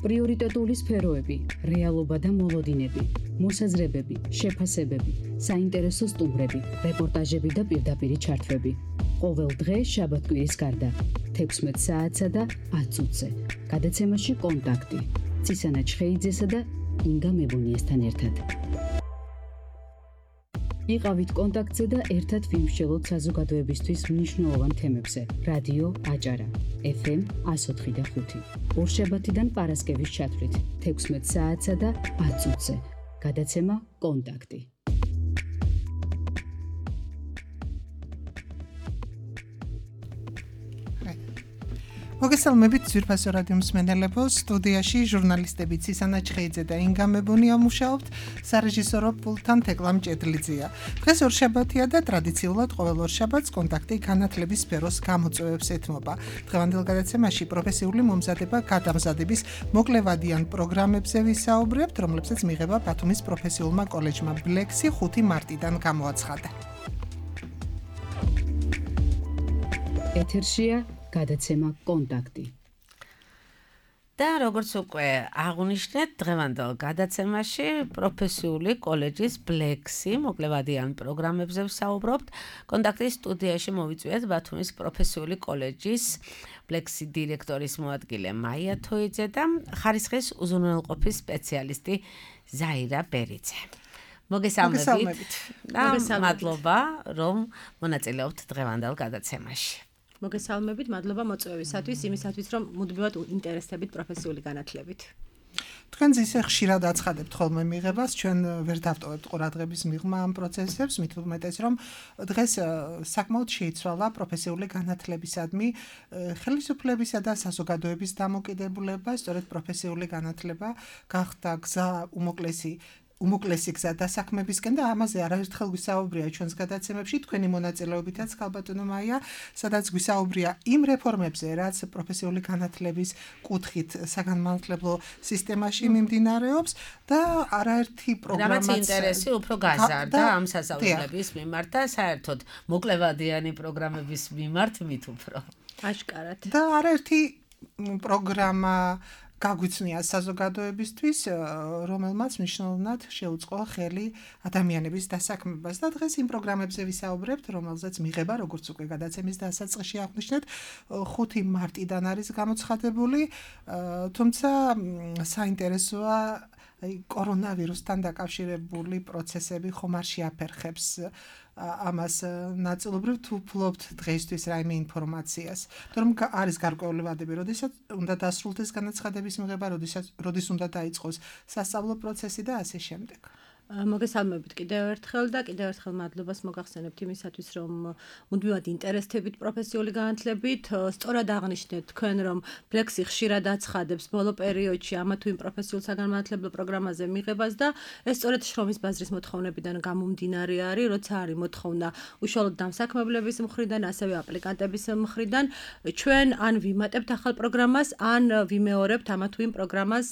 პრიორიტეტული სფეროები, რეალობა და მოლოდინები, მოსაზრებები, შეფასებები, საინტერესო სტუმრები, რეპორტაჟები და პირდაპირი ჩართვები. ყოველ დღე შაბათ-კვირის გარდა 16 საათსა და 10 წუთზე. გადაცემაში კონტაქტი. ცისანა ჩხეიძესა და ინგა მებუნიესთან ერთად. იყავით კონტაქტზე და ერთად ვიმსჯელოთ საზოგადოებისთვის მნიშვნელოვან თემებზე. რადიო აჭარა, FM 104.5. ორშაბათიდან პარასკევის ჩათვლით 16 საათსა და 10 წუთზე. გადაცემა კონტაქტი. მოგესალმებით ძვირფასო რადიო მსმენელებო, სტუდიაში ჟურნალისტები ცისანა ჩხეიძე და ინგა მებუნია მუშაობთ, სარეჟისორო პულტთან თეკლამ ჭედლიძეა. დღეს ორშაბათია და ტრადიციულად ყოველ ორშაბათს კონტაქტი განათლების სფეროს გამოწვევებს ეთმობა. დღევანდელ გადაცემაში პროფესიული მომზადება გადამზადების მოკლევადიან პროგრამებზე ვისაუბრებთ, რომლებსაც მიიღება ბათუმის პროფესიულმა კოლეჯმა ბლექსი 5 მარტიდან გამოაცხადა. ეთერშია გადაცემა კონტაქტი. და როგორც უკვე აღნიშნეთ, დღევანდელ გადაცემაში პროფესიული კოლეჯის ბლექსი მოკლევადიან პროგრამებზე ვსაუბრობთ. კონტაქტის სტუდიაში მოვიწვიეთ ბათუმის პროფესიული კოლეჯის ბლექსი დირექტორის მოადგილე მაია თოიძე და ხარისხის უზრუნველყოფის სპეციალისტი ზაირა ბერიძე. მოგესალმებით. მადლობა, რომ მონაწილეობთ დღევანდელ გადაცემაში. მოგესალმებით, მადლობა მოწვევისათვის, იმისათვის, რომ მუდმივად ინტერესებით პროფესიული განათლებით. თქვენ ისე ხშირად აცხადებთ ხოლმე მიღებას, ჩვენ ვერ დავტოვებთ ყურადღების მიღმა ამ პროცესებს, მით უმეტეს, რომ დღეს საკმაოდ შეიცვალა პროფესიული განათლებისადმი ხელისუფლებისა და საზოგადოების დამოკიდებულება, სწორედ პროფესიული განათლება გახდა გზა უმოკლესი გზა დასაქმებისკენ და ამაზე არაერთხელ გვისაუბრია ჩვენს გადაცემებში, თქვენი მონაწილეობითაც ხალბატონო მაია, სადაც გვისაუბრია იმ რეფორმებზე, რაც პროფესიული განათლების კუთხით საგანმანათლებლო სისტემაში მიმდინარეობს და არაერთი პროგრამაც რამაც ინტერესი უფრო გაზარდა ამ სასწავლებლების მიმართ და საერთოდ მოკლევადიანი პროგრამების მიმართ მით უფრო. აშკარად. და არაერთი პროგრამა გაგვიცნია საზოგადოებისთვის, რომელმაც მნიშვნელოვნად შეუწყო ხელი ადამიანების დასაქმებას და დღეს იმ პროგრამებზე ვისაუბრებთ, რომელზეც მიღება, როგორც უკვე გადაცემის დასაწყისში აღნიშნეთ, 5 მარტიდან არის გამოცხადებული, თუმცა საინტერესოა კორონავირუსთან დაკავშირებული პროცესები ხომ არ შეაფერხებს ამას ნაწილობრივ თუ ფლობთ დღეისთვის რაიმე ინფორმაციას. რომ არის გარკვეული ვადები, როდესაც უნდა დასრულდეს განაცხადების მიღება, როდის უნდა დაიწყოს სასწავლო პროცესი და ასე შემდეგ. მოგესალმებით კიდევ ერთხელ და კიდევ ერთხელ მადლობას მოგახსენებთ იმისათვის, რომ მუდმივად ინტერესებით პროფესიული განათლებით. სწორად აღნიშნეთ თქვენ, რომ ბლექსი ხშირად აცხადებს ბოლო პერიოდში ამა თუ იმ პროფესიულ საგანმანათლებლო პროგრამაზე მიღებას და ეს სწორედ შრომის ბაზრის მოთხოვნებიდან გამომდინარე არის, როცა არის მოთხოვნა უშუალოდ დამსაქმებლების მხრიდან, ასევე აპლიკანტების მხრიდან, ჩვენ ან ვიმატებთ ახალ პროგრამას, ან ვიმეორებთ ამა თუ იმ პროგრამას,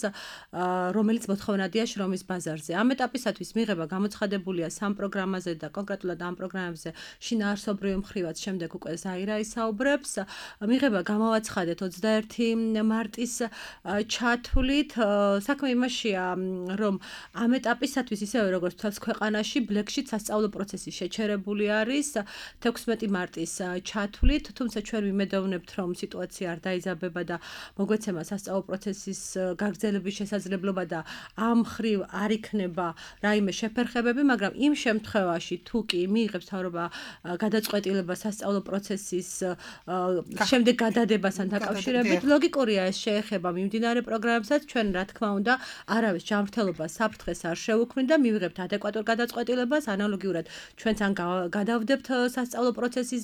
რომელიც მოთხოვნადია შრომის ბაზარზე. ამ ეტაპისათვის მიღება გამოცხადებულია 3 პროგრამაზე და კონკრეტულად ამ პროგრამებზე შინაარსობრივი მხრივაც შემდეგ უკვე ზაირა ისაუბრებს. მიღება გამოვაცხადეთ 21 მარტის ჩათვლით. საქმე იმაშია, რომ ამ ეტაპისათვის ისევე როგორც თავს ქვეყანაში ბლექსში სასწავლო პროცესი შეჩერებული არის 16 მარტის ჩათვლით, თუმცა ჩვენ ვიმედოვნებთ, რომ სიტუაცია არ დაიზაბება და მოგვეცემა სასწავლო პროცესის გაგრძელების შესაძლებლობა და ამ მხრივ არ იქნება რაიმე შეფერხებები, მაგრამ იმ შემთხვევაში თუ კი მიიღებს მთავრობა გადაწყვეტილება სასწავლო პროცესის შემდეგ გადადებასთან დაკავშირებით, ლოგიკურია ეს შეეხება მიმდინარე პროგრამებსაც, ჩვენ რა თქმა უნდა არავის ჯანმრთელობას საფრთხეს არ შევუქმნით და მივიღებთ ადეკვატურ გადაწყვეტილებას, ანალოგიურად ჩვენც ან გადავდებთ სასწავლო პროცესის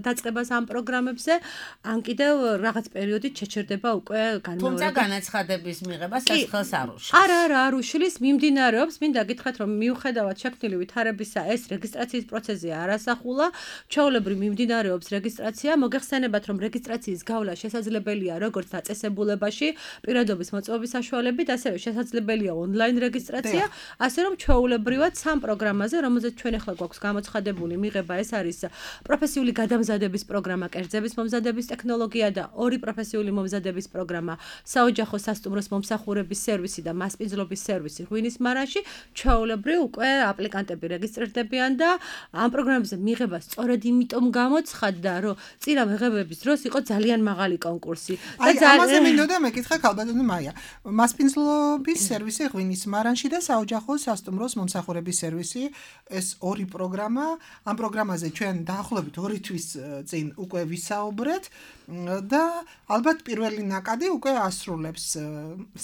დაწყებას ამ პროგრამებზე, ან კიდევ რაღაც პერიოდით შეჩერდება უკვე განმეორება. თუმცა განაცხადების მიღებას ეს ხელს არ უშლის. არა, არ უშლის, მიმდინარეობს, მინდა გითხრათ გითხრათ, რომ მიუხედავად შექმნილი ვითარებისა, ეს რეგისტრაციის პროცესზე არასახულა, ჩვეულებრივ მიმდინარეობს რეგისტრაცია. მოგეხსენებათ, რომ რეგისტრაციის გავლა შესაძლებელია როგორც დაწესებულებაში, პირადობის მოწვევის საშუალებით, ასევე შესაძლებელია ონლაინ რეგისტრაცია, ასე რომ ჩვეულებრივად სამ პროგრამაზე, რომელზეც ჩვენ ახლა გვაქვს გამოცხადებული მიღება, ეს არის პროფესიული გადამზადების პროგრამა, კერძების მომზადების ტექნოლოგია და ორი პროფესიული მომზადების პროგრამა, საოჯახო სასტუმროს მომსახურების სერვისი და მასპინძლობის სერვისი ღვინის მარანში, ჩვეულებრივ უკვე აპლიკანტები რეგისტრირდებიან და ამ პროგრამებზე მიღება სწორედ იმიტომ გამოცხადდა, რომ წინა მიღებების დროს იყო ძალიან მაღალი კონკურსი. ამაზე მინდოდა მეკითხა ქალბატონი მაია. მასპინძლობის სერვისი ღვინის მარანში და საოჯახო სასტუმროს მომსახურების სერვისი, ეს ორი პროგრამა, ამ პროგრამაზე ჩვენ დაახლოებით 2 თვის წინ უკვე ვისაუბრეთ და ალბათ პირველი ნაკადი უკვე ასრულებს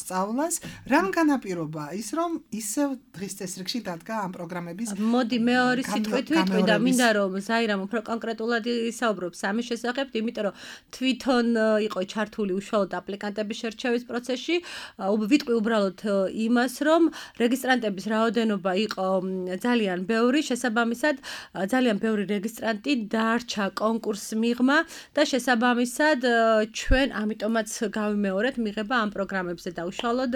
სწავლას. რამ განაპირობა ის, რომ ისევ დღის წესრიგში დადგა ამ პროგრამების მოდი მეორე სიტყვით ვიტყვი და მინდა რომ ზაირამ უფრო კონკრეტულად ისაუბრობს ამის შესახებ, იმიტომ რომ თვითონ იყო ჩართული უშუალოდ აპლიკანტების შერჩევის პროცესში, ვიტყვი უბრალოდ იმას, რომ რეგისტრანტების რაოდენობა იყო ძალიან ბევრი, შესაბამისად ძალიან ბევრი რეგისტრანტი დარჩა კონკურს მიღმა და შესაბამისად ჩვენ ამიტომაც გავიმეორეთ მიღება ამ პროგრამებზე და უშუალოდ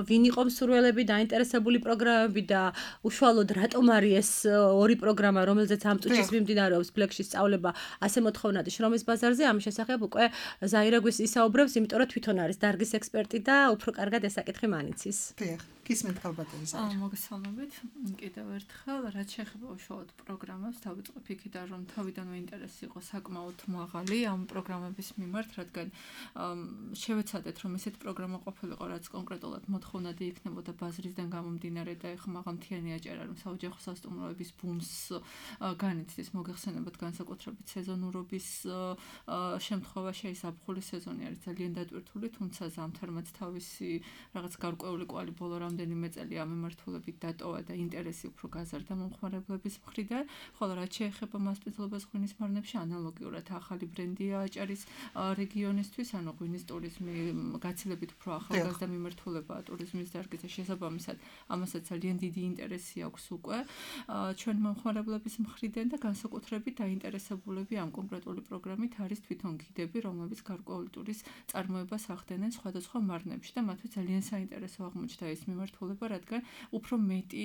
ვინ იყო მსურველები, დაინტერესებული პროგრამები და უშუალოდ რატომ არის ეს ორი პროგრამა, რომელზეც ამ წუთის მიმდინარეობს ბლეკში სწავლება, ასე მოთხოვნადი შრომის ბაზარზე, ამის შესახებ უკვე ზაირა გვის ისაუბრებს, იმიტომ რომ თვითონ არის დარგის ექსპერტი და უფრო კარგად ეს საკითხი მანიცის. დიახ, გისმენთ ქალბატონი ზაირა. მოგესალმებით. კიდევ ერთხელ, რაც შეეხება უშუალოდ პროგრამებს, დავიწყებ იქიდან, რომ თავიდანვე ინტერესი იყო საკმაოდ მაღალი ამ პროგრამების მიმართ, რადგან შევეცადეთ, რომ ესეთ პროგრამა ყოფილიყო, რაც კონკრეტულად მოთხოვნადი იქნებოდა ბაზრისგან გამომდინარე და ეხლა მაღალმთიანი აჭარა, რომ საოჯახო სასტუმროების ბუმს განიცდის, მოგეხსენებათ განსაკუთრებით სეზონურობის შემთხვევა ზაფხულის სეზონი არის ძალიან დატვირთული, თუმცა ზამთარმაც თავისი რაღაც გარკვეული კვალი ბოლო რამდენიმე წელი ამ მიმართულებით დატოვა და ინტერესი უფრო გაზარდა მომხმარებლების მხრიდან, ხოლო რაც შეეხება მასპინძლობას ღვინის მარნებში, ანალოგიურად ახალი ბრენდია აჭარის რეგიონისთვის, ანუ ღვინის ტურიზმი გაცილებით უფრო ახალგაზრდა მიმართულებაა ტურიზმის დარგზე, შესაბამისად ამასაც ძალიან დიდი ინტერესი აქვს უკვე ჩვენ მომხმარებლების მხრიდან და განსაკუთრებით დაინტერესებულები ამ კონკრეტული პროგრამით არის თვითონ გიდები, რომლებიც გარკვეული ტურის წარმოებას ახდენენ სხვადასხვა მარნებში და მათთვის ძალიან საინტერესო აღმოჩნდა ეს მიმართულება, რადგან უფრო მეტი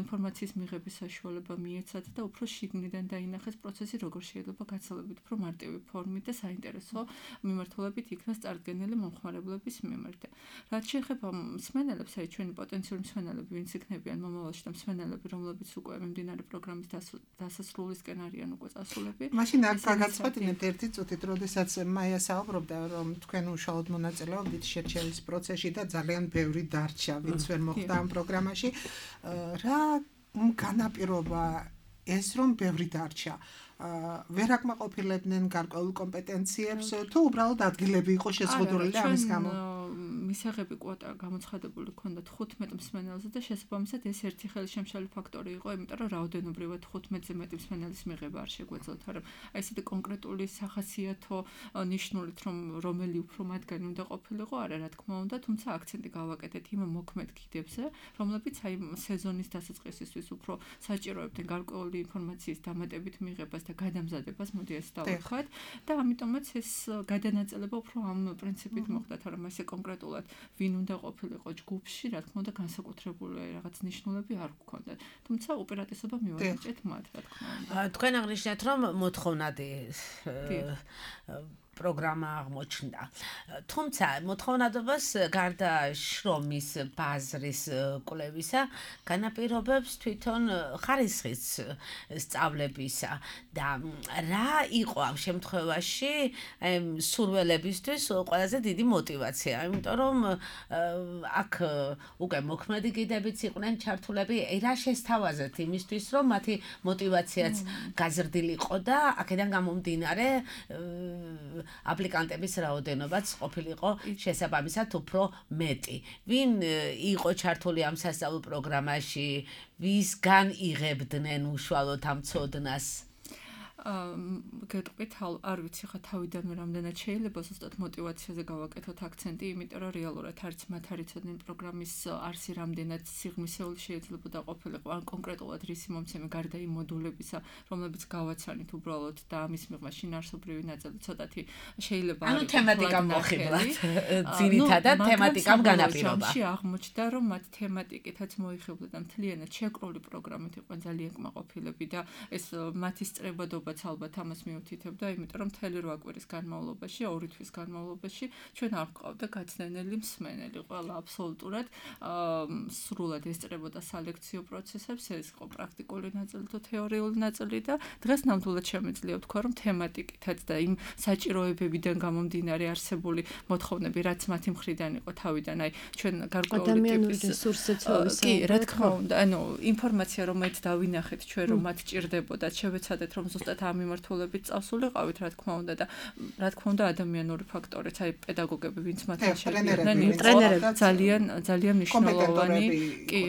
ინფორმაციის მიღების საშუალება მიეცათ და უფრო შიგნიდან დაინახეს პროცესი, როგორ შეიძლება გაცილებით უფრო მარტივი ფორმით და საინტერესო მიმართულებით იქნას წარდგენილი მომხმარებლების მიმართ. რაც შეეხება მსმენელებს, აი ჩვენი პოტენციური მსმენელები, ვინც იქნებიან მომავალში და მსმენელები, რომლებიც უკვე მიმდინარე პროგრამის დასასრულისკენ არიან უკვე წასულები. მაშინ აქ გაგაცხვედინებთ ერთი წუთით, როდესაც მაია საუბრობდა, რომ თქვენ უშუალოდ მონაწილეობდით შერჩევის პროცესში და ძალიან ბევრი დარჩა, ვინც ვერ მოხვდა ამ პროგრამაში. რა განაპირობა ეს, რომ ბევრი დარჩა? ვერ აკმაყოფილებდნენ გარკვეულ კომპეტენციებს თუ უბრალოდ ადგილები იყო შეზღუდული და ამის გამო მისაღები კვოტა გამოცხადებული ქონდა 15 მსმენელზე და შესაბამისად ეს ერთი ხელშემშალი ფაქტორი იყო, იმიტომ რომ რაოდენობრივად 15-ზე მეტი მსმენელის მიღება არ შეგვეძლოთ, მაგრამ აი ესეთი კონკრეტული სახასიათო ნიშნულით, რომ რომელი უფრო მათგანი უნდა ყოფილიყო, არა რა თქმა უნდა, თუმცა აქცენტი გავაკეთეთ იმ მოქმედ გიდებზე, რომლებიც აი სეზონის დასაწყისისთვის უფრო საჭიროებდნენ გარკვეული ინფორმაციის დამატებით მიღებას და გადამზადებას, მოდი ეს დავხოთ და ამიტომაც ეს გადანაწილება უფრო ამ პრინციპით მოხდა, რომ ესე კონკრეტულად ვინ უნდა ყოფილიყო ჯგუფში, რა თქმა უნდა განსაკუთრებული რაღაც ნიშნულები არ გქონდათ. თუმცა უპირატესობა მივაჭრეთ მათ, რა თქმა უნდა. თქვენ აღნიშნეთ, რომ მოთხოვნადი პროგრამა აღმოჩნდა. თუმცა მოთხოვნადობას გარდა შრომის ბაზრის კვლევისა, განაპირობებს თვითონ ხარისხის სწავლებისა და რა იყო ამ შემთხვევაში სურველებისთვის ყველაზე დიდი мотиваცია, იმიტომ რომ აქ უკვე მოქმედი გიდებიც იყვნენ ჩართულები, რა შესთავაზეთ იმისთვის, რომ მათი мотиваციაც გაზრდილიყო და აქედან გამომდინარე აპლიკანტების რაოდენობაც ყოფილიყო შესაბამისად უფრო მეტი. ვინ იყო ჩართული ამ სასწავლო პროგრამაში, ვისგან იღებდნენ უშუალოდ ამ ცოდნას? გეტყვით, არ ვიცი ხა თავიდანვე რამდენად შეიძლება ზუსტად мотиваციაზე გავაკეთოთ აქცენტი, იმიტომ რომ რეალურად არც მათ არ იცოდნენ პროგრამის არსი რამდენად სიღრმისეული შეიძლებოდა ყოფილიყო, ან კონკრეტულად რისი მომცემი გარდა იმ მოდულებისა, რომლებიც გავაცანით უბრალოდ და ამის მიღმა შინაარსობრივი ნაწილი ცოტათი შეიძლება არის. ანუ თემატიკა მოხიბლად. ძირითადად თემატიკამ განაპირობა. აღმოჩნდა, რომ მათ თემატიკითაც მოიხიბლა და მთლიანად შეკრული პროგრამით იყვნენ ძალიან კმაყოფილები და ეს მათი სწრებადობაც ალბათ ამას მიუთითებდა, იმიტომ რომ მთელი 8 კვირის განმავლობაში, 2 თვის განმავლობაში ჩვენ არ გვყავდა გაცნენელი მსმენელი, ყველა აბსოლუტურად სრულად ესწრებოდა სალექციო პროცესებს, ეს იყო პრაქტიკული ნაწილი თუ თეორიული ნაწილი და დღეს ნამდვილად შემიძლია ვთქვა, რომ თემატიკითაც და იმ საჭიროებებიდან გამომდინარე არსებული მოთხოვნები, რაც მათი მხრიდან იყო თავიდან, აი ჩვენ გარკვეული ტიპის რესურსებიც კი, რა თქმა უნდა, ანუ ინფორმაცია რომელიც დავინახეთ ჩვენ რომ მათ ჭირდებოდა, შევეცადეთ რომ ზუსტად ამ მიმართულებით წავსულიყავით, რა თქმა უნდა და რა თქმა უნდა ადამიანური ფაქტორიც, აი პედაგოგები, ვინც მათთან შედიოდნენ, ძალიან მნიშვნელოვანი. კი,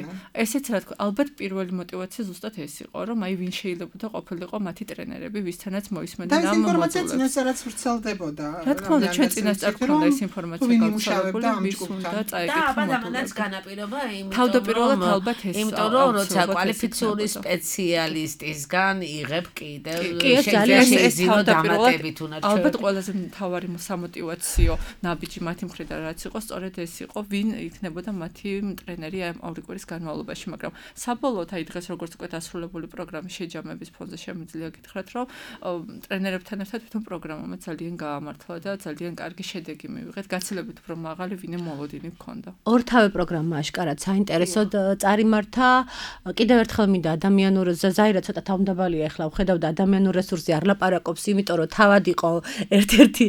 ესეც რა თქმა, ალბათ პირველი мотиваცია ზუსტად ეს იყო, რომ აი ვინ შეიძლება ყოფილიყო მათი ტრენერები, ვისთანაც მოისმენდნენ ამ მოდულებს. და ეს ინფორმაცია წინასწარაც ვრცელდებოდა. რა თქმა უნდა, ჩვენ წინასწარ გვქონდა ეს ინფორმაცია გავრცელებული, ვის უნდა წაიკითხო. და ადამიანს განაპირობა, თავდაპირველად ალბათ ეს. იმიტომ რომ როცა კვალიფიციური სპეციალისტისგან იღებ კიდევ შეიძლება დამატებით უნდა ჩვენ. ალბათ ყველაზე მთავარი სამოტივაციო ნაბიჯი მათი მხრიდან რაც იყო, სწორედ ეს იყო, ვინ იქნებოდა მათი ტრენერი ამ 2 კვირის განმავლობაში, მაგრამ საბოლოოდ აი დღეს როგორც უკვე დასრულებული პროგრამის შეჯამების ფონზე შემიძლია გითხრათ, რომ ტრენერებთან ერთად თვითონ პროგრამამ ძალიან გაამართლა და ძალიან კარგი შედეგი მივიღეთ, გაცილებით უფრო მაღალი ვინმე მოლოდინი ჰქონდა. ორთავე პროგრამა აშკარად საინტერესოდ წარიმართა. კიდევ ერთხელ მინდა ადამიანურ ზაირა ცოტა თავმდაბალია ახლა ვხედავდა ადამიანურ რესურსზე არ ლაპარაკობს, იმიტომ რომ თავად იყო ერთ-ერთი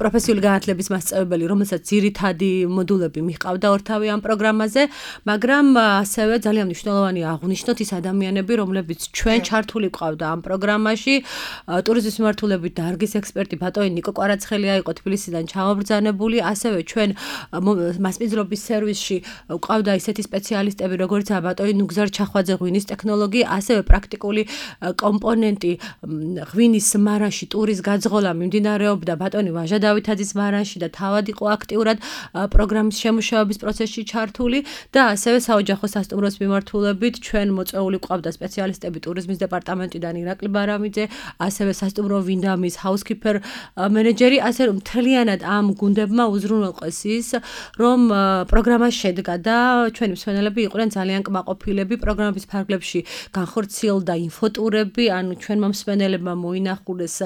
პროფესიული განათლების მასწავლებელი, რომელსაც ძირითადი მოდულები მიჰყავდა ორთავე ამ პროგრამაზე, მაგრამ ასევე ძალიან მნიშვნელოვანია აღვნიშნოთ ის ადამიანები, რომლებიც ჩვენ ჩართული გვყავდა ამ პროგრამაში. ტურიზმის მიმართულებით დარგის ექსპერტი ბატონი ნიკო კვარაცხელია იყო თბილისიდან ჩამობრძანებული, ასევე ჩვენ მასპინძლობის სერვისში გვყავდა ისეთი სპეციალისტები, როგორიცაა ბატონი ნუგზარ ჩახვაძე, ღვინის ტექნოლოგი, ასევე პრაქტიკული კომპონენტი ღვინის მარანში ტურის გაძღოლა მიმდინარეობდა ბატონი ვაჟა დავითაძის მარანში და თავად იყო აქტიურად პროგრამის შემუშავების პროცესში ჩართული და ასევე საოჯახო სასტუმროს მიმართულებით ჩვენ მოწვეული გვყავდა სპეციალისტები ტურიზმის დეპარტამენტიდან ირაკლი ბარამიძე, ასევე სასტუმრო ვინდამის ჰაუსკიპერ მენეჯერი, ასე რომ მთლიანად ამ გუნდებმა უზრუნველყეს ის, რომ პროგრამა შედგა და ჩვენი მსმენელები იყვნენ ძალიან კმაყოფილები. პროგრამის ფარგლებში განხორციელდა ინფოტურები, ანუ ჩვენმა მსმენელებმა მოინახულეს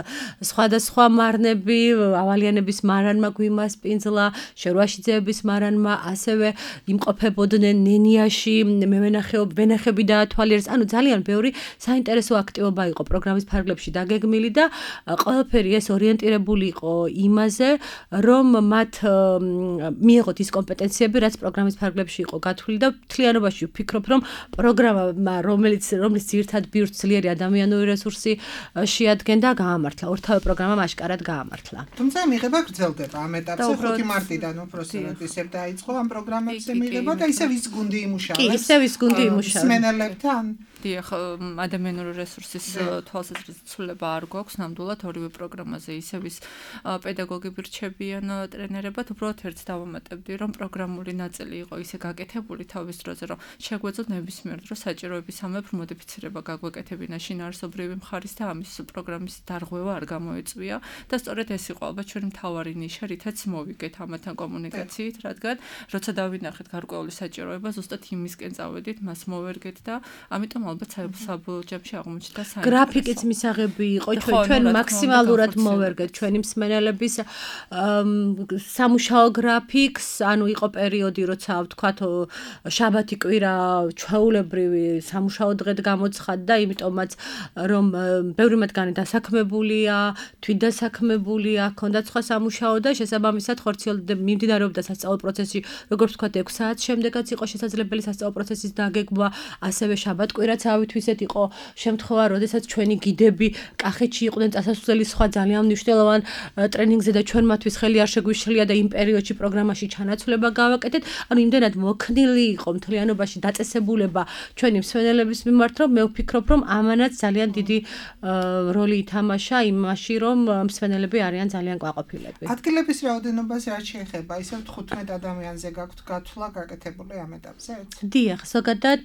სხვადასხვა მარნები, ავალიანების მარანმა გვიმას პინძლა, შერვაშიძეების მარანმა, ასევე იმყოფებოდნენ ნენიაში, ვენახები დაათვალიერეს, ანუ ძალიან ბევრი საინტერესო აქტივობა იყო პროგრამის ფარგლებში დაგეგმილი და ყველაფერი ეს ორიენტირებული იყო იმაზე, რომ მათ მიიღოთ ის კომპეტენციები, რაც პროგრამის ფარგლებში იყო გათვლილი და მთლიანობაში ვფიქრობ, რომ პროგრამა, რომელიც ძირითად ბირთვს ძლიერი ადამიანური რესურსი შეადგენდა, გაამართლა. ორთავე პროგრამა აშკარად გაამართლა. თუმცა მიღება გრძელდება ამ ეტაპზე 5 მარტიდან უბრალოდ ისევ დაიწყო ამ პროგრამებზე მიღება და ისევ ის გუნდი იმუშავებს. კი, ისევ ის გუნდი იმუშავებს. მსმენელებთან დიახ, ადამიანური რესურსის თვალსაზრისით ცვლილება არ გვაქვს ნამდვილად ორივე პროგრამაზე ისევ ის პედაგოგები რჩებიან ტრენერებად, უბრალოდ ერთს დავამატებდი, რომ პროგრამული ნაწილი იყო ისე გაკეთებული თავის დროზე, რომ შეგვეძლოთ ნებისმიერ დროს საჭიროების ამებ მოდიფიცირება გაგვეკეთებინა შინაარსობრივი მხარის და ამის პროგრამის დარღვევა არ გამოეწვია და სწორედ ეს იყო ალბათ ჩვენი მთავარი ნიშა, რითაც მოვიგეთ ამათთან კომუნიკაციით, რადგან როცა დავინახეთ გარკვეული საჭიროება, ზუსტად იმისკენ წავედით, მას მოვერგეთ და ამიტომ ალბათ საბოლოო ჯამში აღმოჩნდა საინტერესო. გრაფიკიც მისაღები იყო, ჩვენ მაქსიმალურად მოვერგეთ ჩვენი მსმენელების სამუშაო გრაფიკს, ანუ იყო პერიოდი, როცა ვთქვათ, შაბათი კვირა ჩვეულებრივი სამუშაო დღედ გამოცხადდა, იმიტომაც რომ ბევრი მათგანი დასაქმებულია, თვითდასაქმებულია, ჰქონდათ სხვა სამუშაო და შესაბამისად ხორციელდება მიმდინარეობდა სასწავლო პროცესი, როგორც ვთქვათ, 6 საათს შემდეგაც იყო შესაძლებელი სასწავლო პროცესის დაგეგმვა, ასევე შაბათ კვირა რაც ავითვისეთ იყო შემთხვევა, როდესაც ჩვენი გიდები კახეთში იყვნენ წასასვლელი სხვა ძალიან მნიშვნელოვან ტრენინგზე და ჩვენ მათთვის ხელი არ შეგვიშლია და იმ პერიოდში პროგრამაში ჩანაცვლება გავაკეთეთ. ანუ იმდენად მოქნილი იყო მთლიანობაში დაწესებულება ჩვენი მსმენელების მიმართ, რომ მე ვფიქრობ, რომ ამანაც ძალიან დიდი როლი ითამაშა იმაში, რომ მსმენელები არიან ძალიან კვაყოფილები. ადგილების რაოდენობას რაც შეეხება, ისევ 15 ადამიანზე გაქვთ გათვლა გაკეთებული ამ ეტაპზე? დიახ, ზოგადად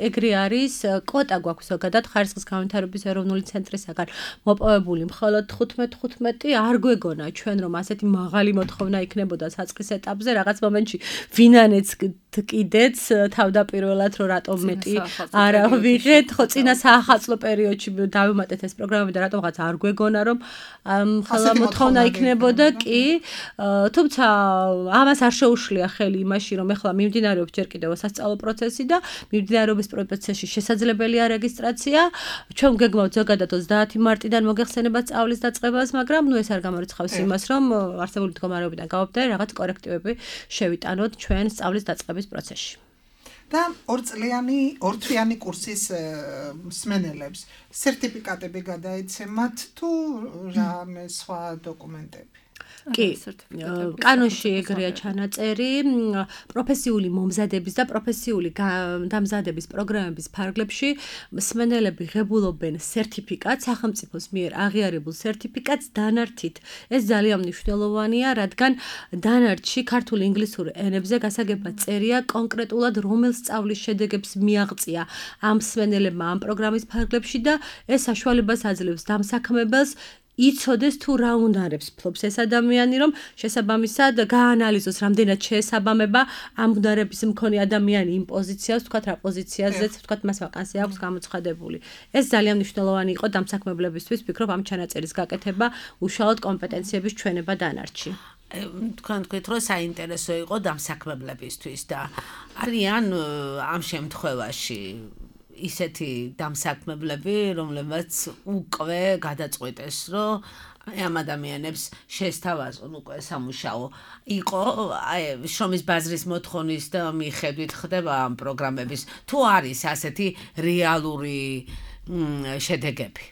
ეგრე არის, კვოტა გვაქვს ზოგადად ხარისხის განვითარების ეროვნული ცენტრისაგან მოპოვებული მხოლოდ 15 არ გვეგონა ჩვენ რომ ასეთი მაღალი მოთხოვნა იქნებოდა საწყის ეტაპზე, რაღაც მომენტში ვინანეც კიდეც თავდაპირველად რომ რატომ მეტი არ ვიღეთ, ხო წინა საახალწლო პერიოდში დავიმატეთ ეს პროგრამები და რატომღაც არ გვეგონა რომ ხოლმე მოთხოვნა იქნებოდა კი, თუმცა ამას არ შეუშლია ხელი იმაში რომ ეხლა მიმდინარეობს ჯერ კიდევ სასწავლო პროცესი და მიმდინარეობის პროცესში შესაძლებელია რეგისტრაცია. ჩვენ გეგმავთ ზოგადად 30 მარტიდან მოგეხსენება სწავლის დაწყებას, მაგრამ ნუ ეს არ გამორიცხავს იმას, რომ არსებული მდგომარეობიდან გავაბდე რაღაც კორექტივები შევიტანოთ ჩვენ სწავლის დაწყების პროცესში. და ორთვიანი კურსის მსმენელებს სერტიფიკატები გადაეცემათ თუ რამე სხვა დოკუმენტები? კი, კანონში ეგრეა ჩანაწერი, პროფესიული მომზადების და პროფესიული დამზადების პროგრამების ფარგლებში მსმენელები ღებულობენ სერტიფიკატს, სახელმწიფოს მიერ აღიარებულ სერტიფიკატს დანართით. ეს ძალიან მნიშვნელოვანია, რადგან დანართში ქართულ ინგლისურ ენებზე გასაგებად წერია კონკრეტულად რომელ სწავლის შედეგებს მიაღწია ამ მსმენელებმა ამ პროგრამის ფარგლებში და ეს საშუალებას აძლევს დამსაქმებელს იცოდეს თუ რა უნარებს ფლობს ეს ადამიანი, რომ შესაბამისად გაანალიზოს რამდენად შეესაბამება ამ უნარების მქონე ადამიანი იმ პოზიციას, თქვათ რა პოზიციაზეც, თქვათ მას ვაკანსია აქვს გამოცხადებული. ეს ძალიან მნიშვნელოვანი იყო დამსაქმებლებისთვის, ვფიქრობ ამ ჩანაწერის გაკეთება უშუალოდ კომპეტენციების ჩვენება დანართში. თქვენ თქვით, რომ საინტერესო იყო დამსაქმებლებისთვის და არიან ამ შემთხვევაში ისეთი დამსაქმებლები, რომლებიც უკვე გადაწყვეტეს, რომ ამ ადამიანებს შესთავაზონ უკვე სამუშაო. იყო შრომის ბაზრის მოთხოვნის და მიხედვით ხდება ამ პროგრამების, თუ არის ასეთი რეალური შედეგები?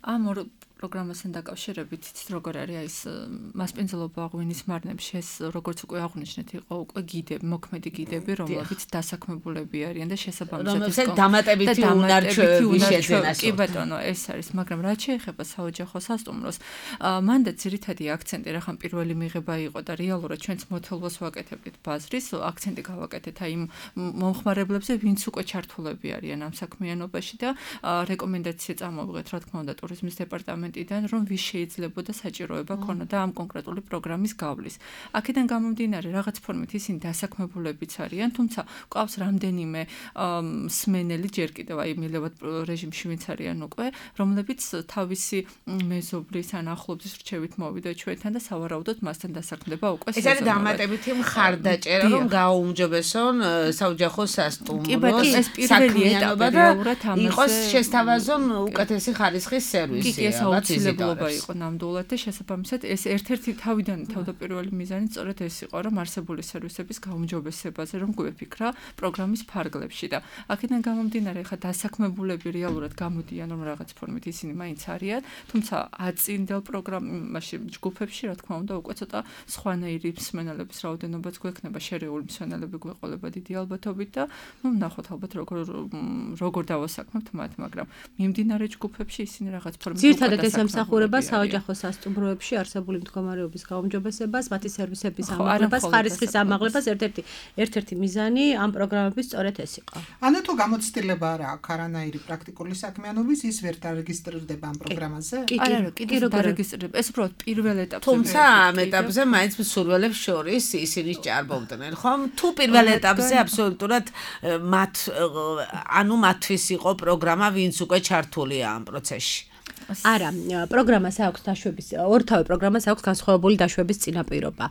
ამ პროგრამასთან დაკავშირებით იცით როგორ არის ეს მასპინძლობა ღვინის მარნებში ეს როგორც უკვე აღვნიშნეთ იყო უკვე გიდები, მოქმედი გიდები, რომლებიც დასაქმებულები არიან და შესაბამისად დამატებითი უნარჩვევები შეძენას. კი ბატონო, ეს არის, მაგრამ რაც შეეხება საოჯახო სასტუმროს, მანდ ძირითადი აქცენტი რახან პირველი მიღება იყო და რეალურად ჩვენც მოთელვას ვაკეთებდით ბაზრის, აქცენტი გავაკეთეთ აი იმ მომხმარებლებზე, ვინც უკვე ჩართულები არიან ამ საქმიანობაში და რეკომენდაცია წამოვიღეთ, რა თქმა უნდა, ტურიზმის დეპარტამენტ რომ ვის შეიძლებოდა საჭიროება ქონოდა ამ კონკრეტული პროგრამის გავლის. აქედან გამომდინარე, რაღაც ფორმით ისინი დასაქმებულებიც არიან, თუმცა ყავს რამდენიმე მსმენელი ჯერ კიდევ აი მილევად რეჟიმში ვინც არიან უკვე, რომლებიც თავისი მეზობლის ან ახლობლის რჩევით მოვიდა ჩვენთან და სავარაუდოდ მასთან დასაქმდება უკვე ეს არის დამატებითი მხარდაჭერა, რომ გააუმჯობესონ საოჯახო სასტუმროს საქმიანობა და იყოს შესთავაზონ უკეთესი ხარისხის სერვისი. აუცილებლობა იყო ნამდვილად და შესაბამისად ეს ერთ-ერთი თავიდან თავდაპირველი მიზანი სწორედ ეს იყო, რომ არსებული სერვისების გაუმჯობესებაზე რომ გვეფიქრა პროგრამის ფარგლებში და აქედან გამომდინარე, ხა დასაქმებულები რეალურად გამოდიან, რომ რაღაც ფორმით ისინი მაინც არიან, თუმცა აწინდელ პროგრამაში ჯგუფებში, რა თქმა უნდა, უკვე ცოტა სხვანაირი მსმენელების რაოდენობაც გვექნება, შერეული მსმენელები გვეყოლება დიდი ალბათობით და ნუ ნახოთ ალბათ როგორ დავასაქმებთ მათ, მაგრამ მიმდინარე ჯგუფებში ისინი რაღაც ფორმით ძირითადად ეს ემსახურება საოჯახო სასტუმროებში არსებული მდგომარეობის გაუმჯობესებას, მათი სერვისების ამაღლებას, ხარისხის ამაღლებას, ერთ-ერთი მიზანი ამ პროგრამების სწორედ ეს იყო. ანუ თუ გამოცდილება არ აქვს არანაირი პრაქტიკული საქმიანობის, ის ვერ დარეგისტრირდება ამ პროგრამაზე? არა, კიდევ დარეგისტრირდება. ეს უბრალოდ პირველ ეტაპზე. თუმცა ამ ეტაპზე მაინც მსურველებს შორის ისინი ჭარბობდნენ, ხომ? თუ პირველ ეტაპზე აბსოლუტურად მათთვის იყო პროგრამა, ვინც უკვე ჩართულია ამ პროცესში. არა, პროგრამას აქვს დაშვების, ორთავე პროგრამას აქვს განსხვავებული დაშვების წინაპირობა.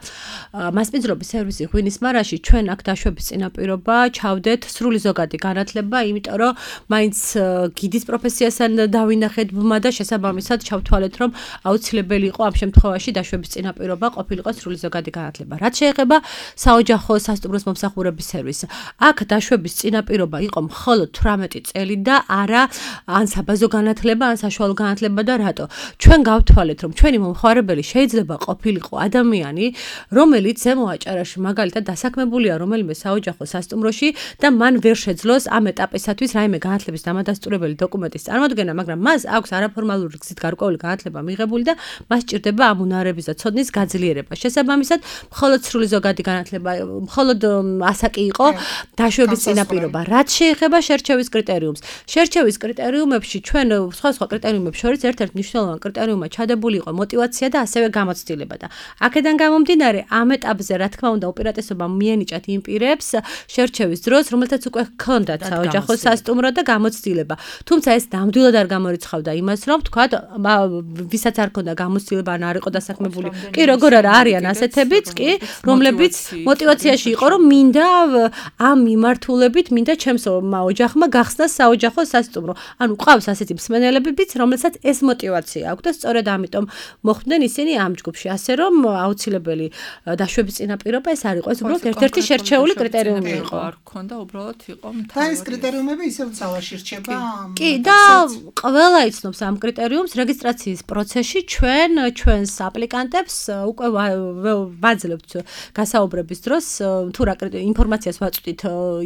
მასპინძლობის სერვისი ღვინის მარაში ჩვენ აქ დაშვების წინაპირობა ჩავდეთ სრული ზოგადი განათლება, იმიტომ რომ მაინც გიდის პროფესიასთან დავინახეთ ბმა და შესაბამისად ჩავთვალეთ, რომ აუცილებელი იყო ამ შემთხვევაში დაშვების წინაპირობა ყოფილიყო სრული ზოგადი განათლება. რაც შეეხება საოჯახო სასტუმროს მომსახურების სერვისს, აქ დაშვების წინაპირობა იყო მხოლოდ 18 წელი და არა ან საბაზო განათლება, ან საშუალო განათლება და რატო? ჩვენ გავთვალეთ, რომ ჩვენი მომხმარებელი შეიძლება ყოფილიყო ადამიანი, რომელიც ზემო აჭარაში მაგალითად დასაქმებულია რომელიმე საოჯახო სასტუმროში და მან ვერ შეძლოს ამ ეტაპისათვის რაიმე განათლების დამადასტურებელი დოკუმენტის წარმოდგენა, მაგრამ მას აქვს არაფორმალური გზით გარკვეული განათლება მიღებული და მას სჭირდება ამ უნარების და ცოდნის გაძლიერება. შესაბამისად, მხოლოდ სრული ზოგადი განათლება, მხოლოდ ასაკი იყო დაშვების წინაპირობა. რაც შეეხება შერჩევის კრიტერიუმს. შერჩევის კრიტერიუმებში ჩვენ სხვა კრიტერიუმებს შორის ერთ-ერთ მნიშვნელოვან კრიტერიუმად ჩადებული იყო мотиваცია და ასევე გამოცდილება და აქედან გამომდინარე ამ ეტაპზე რა თქმა უნდა უპირატესობა მიენიჭათ იმ პირებს შერჩევის დროს, რომელთაც უკვე ჰქონდათ საოჯახო სასტუმრო და გამოცდილება. თუმცა ეს ნამდვილად არ გამორიცხავდა იმას, რომ თქვათ, ვისაც არ ჰქონდა გამოცდილება ან არ იყო დასაქმებული. კი, როგორ არა არიან ასეთებიც, კი, რომლებიც мотиваციაში იყო, რომ მინდა ამ მიმართულებით, მინდა ჩემს ოჯახმა გახსნას საოჯახო სასტუმრო. ანუ ყავს ასეთი მსმენელებიც, რომელსაც ეს мотиваცია აქვს და სწორედ ამიტომ მოხვდნენ ისინი ამ ჯგუფში, ასე რომ აუცილებელი დაშვების წინაპირობა ეს არ იყო, ეს უბრალოდ ერთ-ერთი შერჩეული კრიტერიუმი იყო. არ ქონდა, უბრალოდ იყო და ეს კრიტერიუმები ისევ ძალაში რჩება. კი, და ყველა იცნობს ამ კრიტერიუმს რეგისტრაციის პროცესში ჩვენს აპლიკანტებს უკვე ვაძლევთ გასაუბრების დროს თუ რა ინფორმაციას ვაწვდით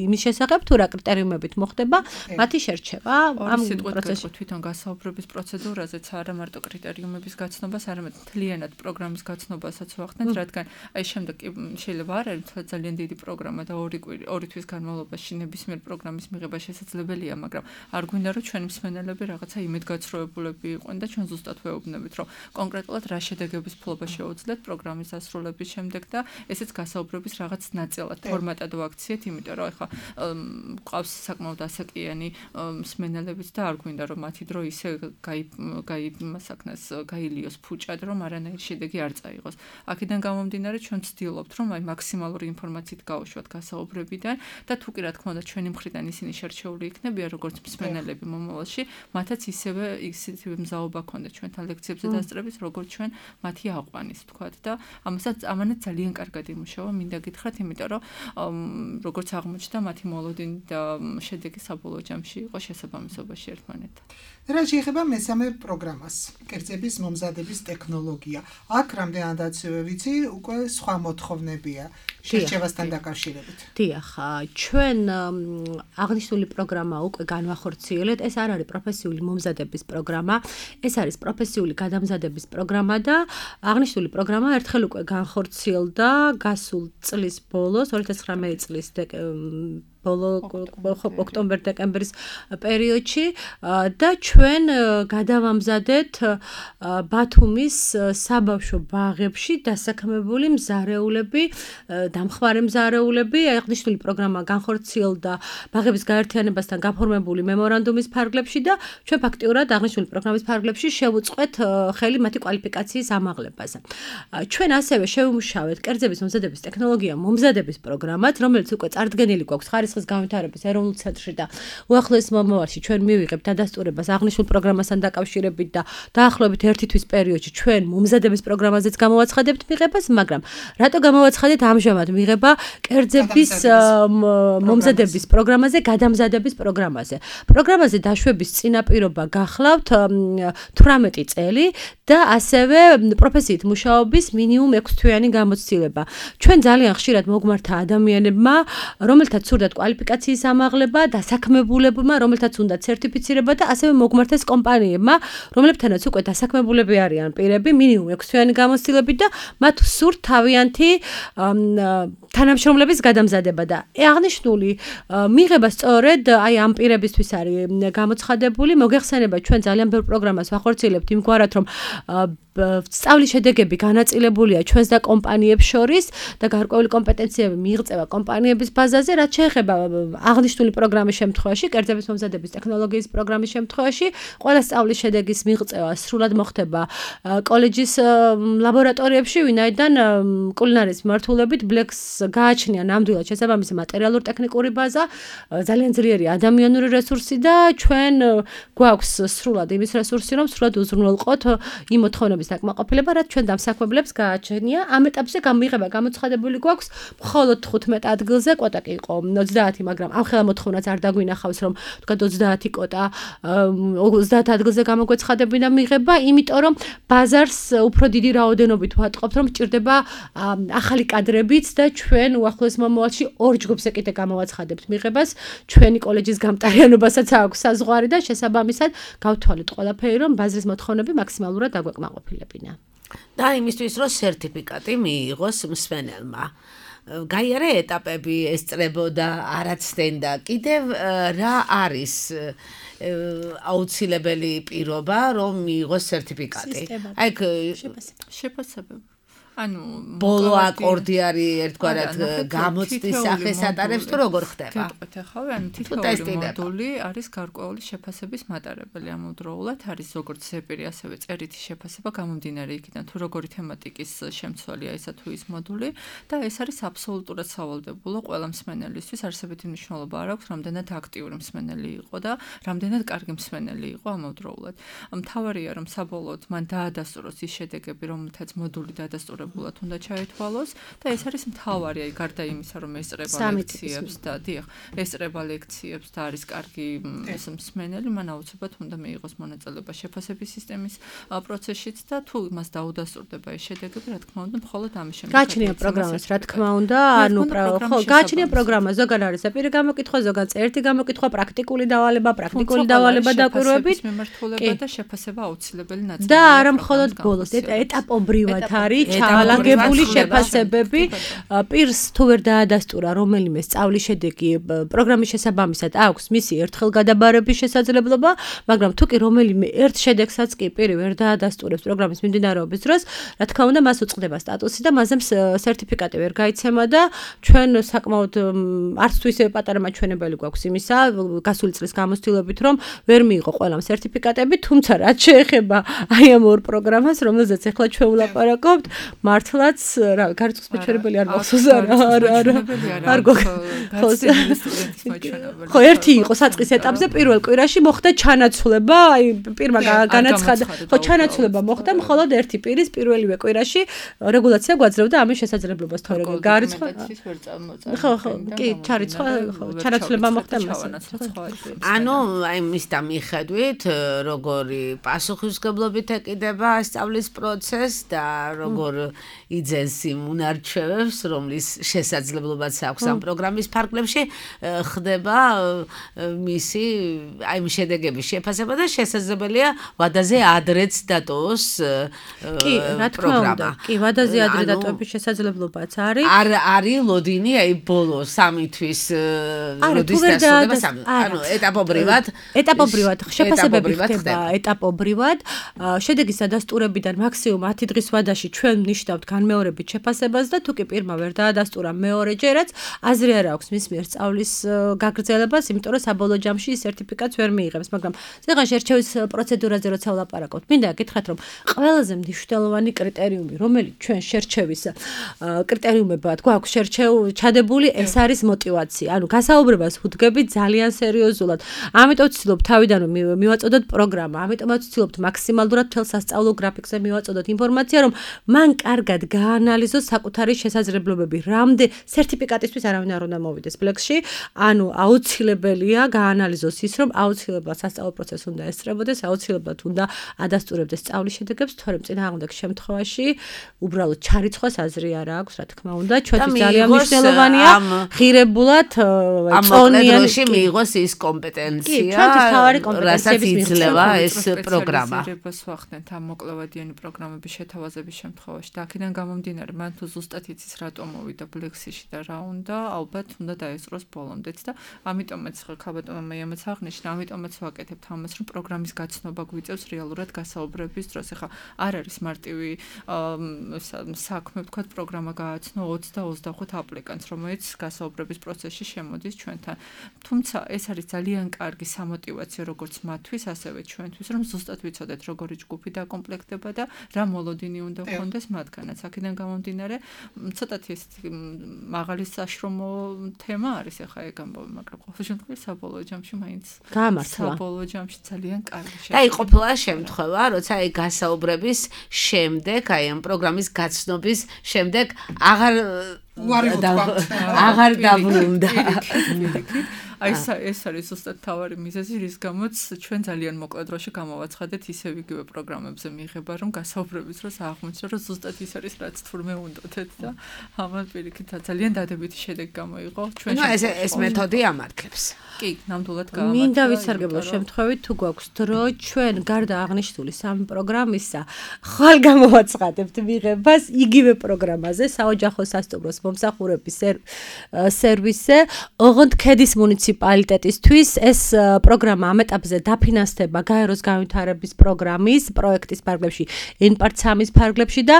იმის შესახებ, თუ რა კრიტერიუმებით მოხდება მათი შერჩევა ამ პროცესში. თვითონ გასაუბრების პროცედურაზეც არა მარტო კრიტერიუმების გაცნობას, არამედ მთლიანად პროგრამის გაცნობასაც ვახდენთ, რადგან აი შემდეგ შეიძლება არ არის ძალიან დიდი პროგრამა და ორი თვის განმავლობაში ნებისმიერ პროგრამის მიღება შესაძლებელია, მაგრამ არ გვინდა რომ ჩვენი მსმენელები რაღაცა იმედგაცრუებულები იყვნენ და ჩვენ ზუსტად ვეუბნებით, რომ კონკრეტულად რა შედეგების ფლობა შეუძლიათ პროგრამის დასრულების შემდეგ და ესეც გასაუბრების რაღაც ნაწილად ფორმატად ვაქციეთ, იმიტომ რომ ეხლა ყავს საკმაოდ ასაკიანი მსმენელებიც და არ გვინდა რომ მათი დრო ისე გაილიოს ფუჭად, რომ არანაირი შედეგი არ წაიღოს. აქედან გამომდინარე ჩვენ ვცდილობთ, რომ აი მაქსიმალური ინფორმაციით გავუშვათ გასაუბრებიდან და თუ კი რა თქმა უნდა ჩვენი მხრიდან ისინი შერჩეული იქნებიან როგორც მსმენელები მომავალში, მათაც ისევე მზაობა ქონდა ჩვენთან ლექციებზე დასწრების, როგორც ჩვენ მათი აყვანის თქვათ და ამანაც ძალიან კარგად იმუშავა, მინდა გითხრათ, იმიტომ რომ როგორც აღმოჩნდა მათი მოლოდინი და შედეგი საბოლოო ჯამში იყო შესაბამისობაში ერთმანეთთან. რა შეეხება მესამე პროგრამას, კერძების მომზადების ტექნოლოგია. აქ რამდენადაც ვიცი, უკვე სხვა მოთხოვნებია შერჩევასთან დაკავშირებით. დიახ, ჩვენ აღნიშნული პროგრამა უკვე განვახორციელეთ. ეს არ არის პროფესიული მომზადების პროგრამა, ეს არის პროფესიული გადამზადების პროგრამა და აღნიშნული პროგრამა ერთხელ უკვე განხორციელდა გასულ წლის ბოლოს, 2019 წლის ოქტომბერ-დეკემბრის პერიოდში და ჩვენ გადავამზადეთ ბათუმის საბავშვო ბაღებში დასაქმებული მზარეულები, დამხმარე მზარეულები. აღნიშნული პროგრამა განხორციელდა ბაღების გაერთიანებასთან გაფორმებული მემორანდუმის ფარგლებში და ჩვენ ფაქტიურად აღნიშნული პროგრამის ფარგლებში შევუწყვეთ ხელი მათი კვალიფიკაციის ამაღლებაზე. ჩვენ ასევე შევიმუშავეთ კერძების მომზადების ტექნოლოგია მომზადების პროგრამად, რომელიც უკვე წარდგენილი გვაქვს ხარისხის განვითარების ეროვნულ ცენტრში და უახლოეს მომავალში ჩვენ მივიღებთ დადასტურებას აღნიშნულ პროგრამასთან დაკავშირებით და დაახლოებით 1 თვის პერიოდში ჩვენ მომზადების პროგრამაზეც გამოვაცხადებთ მიღებას, მაგრამ რატო გამოვაცხადეთ ამჟამად მიღება კერძების მომზადების პროგრამაზე, გადამზადების პროგრამაზე. პროგრამაზე დაშვების წინაპირობა გახლავთ 18 წელი და ასევე პროფესიით მუშაობის მინიმუმ 6 თვიანი გამოცდილება. ჩვენ ძალიან ხშირად მოგმართა ადამიანებმა, რომელთაც სურდათ კვალიფიკაციის ამაღლება, დასაქმებულებმა, რომელთაც უნდა სერტიფიცირება და ასევე მოგმართეს კომპანიებმა, რომლებთანაც უკვე დასაქმებულები არიან პირები, მინიმუმ 6 თვიანი გამოცდილებით და მათ სურთ თავიანთი თანამშრომლების გადამზადება და აღნიშნული მიღება სწორედ აი ამ პირებისთვის არის გამოცხადებული. მოგეხსენება ჩვენ ძალიან ბევრ პროგრამას ვახორციელებთ იმგვარად, რომ სწავლის შედეგები განაწილებულია ჩვენს და კომპანიებს შორის და გარკვეული კომპეტენციები მიიღწევა კომპანიების ბაზაზე, რაც შეეხება აღნიშნული პროგრამის შემთხვევაში, კერძების მომზადების ტექნოლოგიის პროგრამის შემთხვევაში, ყველა სწავლის გარკვეული შედეგის მიღწევა სრულად მოხდება კოლეჯის ლაბორატორიებში, ვინაიდან კულინარიის მიმართულებით ბლეკს გააჩნია ნამდვილად შესაბამისი მატერიალურ-ტექნიკური ბაზა, ძალიან ძლიერი ადამიანური რესურსი და ჩვენ გვაქვს სრულად იმის რესურსი, რომ სრულად უზრუნველყოთ იმ მოთხოვნების დაკმაყოფილება, რაც ჩვენ დამსაქმებლებს გააჩნია. ამ ეტაპზე გამიღება გამოცხადებული გვაქვს მხოლოდ 15 ადგილზე, კვოტა კი იყო 30, მაგრამ ამ ხელა მოთხოვნაც არ დაგვინახავს, რომ თქვა 30 კვოტა 30 ადგილზე გამოგვეცხადებინა მიღება, იმიტომ რომ ბაზარს უფრო დიდი რაოდენობით ვატყობთ, რომ სჭირდება ახალი კადრებიც და ჩვენ უახლოეს მომავალში ორ ჯგუფზე კიდე გამოვაცხადებთ მიღებას. ჩვენი კოლეჯის გამტარიანობასაც აქვს საზღვარი და შესაბამისად გავთვალეთ ყველაფერი, რომ ბაზრის მოთხოვნები მაქსიმალურად დაგვეკმაყოფილებინა. და იმისთვის, რომ სერტიფიკატი მიიღოს მსმენელმა. გაიარა ეტაპები ესწრებოდა, არაცდენდა. კიდევ რა არის აუცილებელი პირობა, რომ მიიღოს სერტიფიკატი? აი შეფასება. ანუ ბოლო აკორდი არის ერთგვარად გამოცდის სახეს ატარებს თუ როგორ ხდება? გეტყვით ახლა, ანუ თითოეული მოდული არის გარკვეული შეფასების მატარებელი ამავდროულად, არის როგორც ზეპირი, ასევე წერითი შეფასება გამომდინარე იქიდან, თუ როგორი თემატიკის შემცვალია ისა თუ ის მოდული და ეს არის აბსოლუტურად სავალდებულო ყველა მსმენელისთვის, არსებითი მნიშვნელობა არ აქვს, რამდენად აქტიური მსმენელი იყო და რამდენად კარგი მსმენელი იყო ამავდროულად. მთავარია, რომ საბოლოოდ მან დაადასტუროს ის შედეგები, რომელთაც მოდული დაადასტურა უნდა ჩაითვალოს და ეს არის მთავარი, აი გარდა იმისა, რომ ესწრება ლექციებს და დიახ, ესწრება ლექციებს და არის კარგი მსმენელი, მან აუცილებლად უნდა მიიღოს მონაწილეობა შეფასების სისტემის პროცესშიც და თუ მას დაუდასტურდება ეს შედეგები, რა თქმა უნდა, მხოლოდ ამის შემდეგ გაჩნია პროგრამას, რა თქმა უნდა, ანუ გაჩნია პროგრამა, ზოგან არის ზეპირი გამოკითხვა, ზოგან წერითი გამოკითხვა, პრაქტიკული დავალება დაკვირვებით, მიმართულება და შეფასება აუცილებელი ნაწილია. და არა მხოლოდ ბოლოს, ეტაპობრივად არის ჩაალაგებული შეფასებები, პირს თუ ვერ დაადასტურა რომელიმე სწავლის შედეგი პროგრამის შესაბამისად აქვს მისი ერთხელ გადაბარების შესაძლებლობა, მაგრამ თუ კი რომელიმე ერთ შედეგსაც კი პირი ვერ დაადასტურებს პროგრამის მიმდინარეობის დროს, რა თქმა უნდა, მას უწყდება სტატუსი და მასზე სერტიფიკატი ვერ გაიცემა და ჩვენ საკმაოდ არც თუ ისე პატარა მაჩვენებელი გვაქვს იმისა, გასული წლის გამოცდილებით, რომ ვერ მიიღო ყველამ სერტიფიკატები, თუმცა რაც შეეხება აი ამ ორ პროგრამას, რომელზეც ახლა ჩვენ ვლაპარაკობთ, მართლაც რა გარწყვის მეჩვენებელი არ მახსოვს არ ხო ერთი იყო საწყის ეტაპზე პირველ კვირაში მოხდა ჩანაცვლება აი პირმა განაცხადა ხო ჩანაცვლება მოხდა მხოლოდ ერთი პირის პირველივე კვირაში რეგულაცია გვაძლევდა ამის შესაძლებლობას თორე გარიცხვა ხო კი ჩარიცხვა ხო ჩანაცვლება მოხდა მასე ანუ აი მის და მიხედვით როგორი პასუხისმგებლობით ეკიდება სწავლის პროცესს და როგორ იძენს იმ უნარჩვევებს, რომლის შესაძლებლობაც აქვს ამ პროგრამის ფარგლებში, ხდება მისი აი იმ შედეგების შეფასება და შესაძლებელია ვადაზე ადრეც დატოვოს კი, რა თქმა უნდა. კი, ვადაზე ადრე დატოვების შესაძლებლობაც არის. არ არის ლოდინი აი ბოლო 3 თვის როდის დასრულდება 3. ანუ ეტაპობრივად შეფასებები ხდება ეტაპობრივად. შედეგის დადასტურებიდან მაქსიმუმ 10 დღის ვადაში ჩვენ ნიშნავთ განმეორებით შეფასებას და თუ კი პირმა ვერ დაადასტურა მეორეჯერაც, აზრი არ აქვს მის მიერ სწავლის გაგრძელებას, იმიტომ რომ საბოლოო ჯამში ის სერტიფიკატს ვერ მიიღებს, მაგრამ ზოგან შერჩევის პროცედურაზე როცა ვლაპარაკობთ, მინდა გითხრათ, რომ ყველაზე მნიშვნელოვანი კრიტერიუმი, რომელიც ჩვენ შერჩევის კრიტერიუმებად გვაქვს ჩადებული, ეს არის мотиваცია. ანუ გასაუბრებას ვუდგებით ძალიან სერიოზულად. ამიტომ ვცდილობ თავიდანვე მივაწოდოთ პროგრამა, ამიტომაც ვცდილობთ მაქსიმალურად მთელ სასწავლო გრაფიკზე მივაწოდოთ ინფორმაცია, რომ მან კარგად გაანალიზოს საკუთარი შესაძლებლობები. რამდენ სერტიფიკატისთვის არავინ არ უნდა მოვიდეს ბლექსში, ანუ აუცილებელია გაანალიზოს ის, რომ აუცილებლად სასწავლო პროცესს უნდა ესწრებოდეს, აუცილებლად უნდა ადასტურებდეს სწავლის შედეგებს, თორემ წინააღმდეგ შემთხვევაში უბრალოდ ჩარიცხვას აზრი არ აქვს, რა თქმა უნდა, ჩვენთვის ძალიან მნიშვნელოვანია ღირებულად წონიანში მიიღოს ის კომპეტენცია, რასაც იძლევა ეს პროგრამა. რებას ვახდენთ ამ მოკლევადიანი პროგრამების შეთავაზების შემთხვევაში და აქედან გამომდინარე, მან თუ ზუსტად იცის რატომ მოვიდა ბლექსიში და რა უნდა, ალბათ უნდა დაესწროს ბოლომდეც და ამიტომაც ხალბატონმა მეამაც აღნიშნა, ამიტომაც ვაკეთებთ ამას, რომ პროგრამის გაცნობა გვიწევს რეალურად გასაუბრების დროს. ეხლა არ არის მარტივი საქმე, ვთქვათ, პროგრამა გააცნო 20 და 25 აპლიკანტს, რომელიც გასაუბრების პროცესში შემოდის ჩვენთან. თუმცა ეს არის ძალიან კარგი სამოტივაციო როგორც მათთვის, ასევე ჩვენთვის, რომ ზუსტად ვიცოდეთ, როგორი ჯგუფი დაკომპლექტდება და რა მოლოდინი უნდა გქონდეს მათგანაც. აქედან გამომდინარე, ცოტათი ეს მაღალი საშრომო თემა არის ახლა ეგ ამბობ, მაგრამ ყოველ შემთხვევაში საბოლოო ჯამში მაინც საბოლოო ჯამში ძალიან კარგი და იყოფილა შემთხვევა, როცა აი გასაუბრების შემდეგ, აი ამ პროგრამის გაცნობის შემდეგ აღარ დაბრუნდა. აი ეს არის ზუსტად თავარი მიზეზი, რის გამოც ჩვენ ძალიან მოკლედ დროში გამოვაცხადეთ ისევ იგივე პროგრამებზე მიიღება, რომ გასაუბრების დროს აღმოჩნდა, რომ ზუსტად ის არის, რაც თურმე უნდათ და ამან პირიქით ძალიან დადებითი შედეგი გამოიღო. ჩვენ ეს მეთოდი ამართლებს. კი, ნამდვილად გამართლა. მინდა ვიცარგებლო შემთხვევით თუ გვაქვს დრო, ჩვენ გარდა აღნიშნული სამი პროგრამისა, ხვალ გამოვაცხადებთ მიღებას იგივე პროგრამაზე, საოჯახო სასტუმროს მომსახურების სერვისზე, ოღონდ ქედის მუნიციპალიტეტისთვის ეს პროგრამა ამ ეტაპზე დაფინანსდება გაეროს განვითარების პროგრამის პროექტის ფარგლებში, NPART-3-ის ფარგლებში და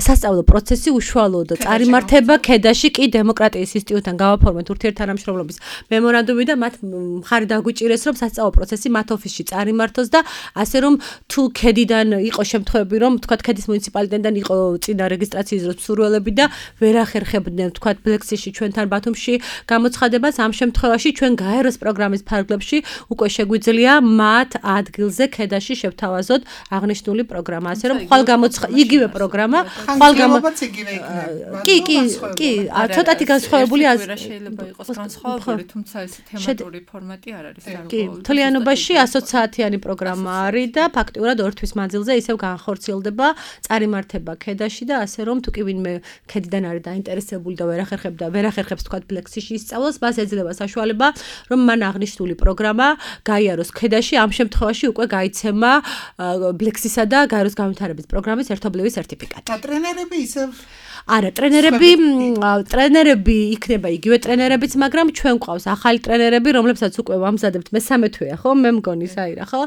სასწავლო პროცესი უშუალოდ წარიმართება ქედაში კი დემოკრატიის ინსტიტუტთან გავაფორმეთ ურთიერთთანამშრომლობის მემორანდუმი და მათ მხარი დაგვიჭირეს, რომ სასწავლო პროცესი მათ ოფისში წარიმართოს და ასე რომ თუ ქედიდან იყო შემთხვევები, რომ თქვათ ქედის მუნიციპალიტეტიდან იყო წინა რეგისტრაციის დროს მსურველები და ვერ ახერხებდნენ თქვათ ბლექსიში ჩვენთან ბათუმში გამოცხადებას, ამ შემთხვევაში ჩვენ გაეროს პროგრამის ფარგლებში უკვე შეგვიძლია მათ ადგილზე ქედაში შევთავაზოთ აღნიშნული პროგრამა, ასე რომ ხვალ იგივე პროგრამა, ხვალ კი, ცოტათი განსხვავებული შეიძლება იყოს განსხვავებული, თუმცა ეს თემატური ფორმატი არ არის. კი, მთლიანობაში 100 საათიანი პროგრამა არის და ფაქტიურად 2 თვის მანძილზე ისევ განხორციელდება, წარიმართება ქედაში და ასე რომ თუ კი ვინმე ქედიდან არის დაინტერესებული და ვერ ახერხებს თქვათ ბლექსიში ისწავლოს, მას ეძლევა საშუალება, რომ მან აღნიშნული პროგრამა გაიაროს ქედაში, ამ შემთხვევაში უკვე გაიცემა ბლექსისა და გაეროს განვითარების პროგრამის ერთობლივი სერტიფიკატი. და ტრენერები ისევ არა, ტრენერები იქნება იგივე ტრენერებიც, მაგრამ ჩვენ გვყავს ახალი ტრენერები, რომლებსაც უკვე ვამზადებთ მე-13 თვეა, ხო? მე მგონი საირა, ხო?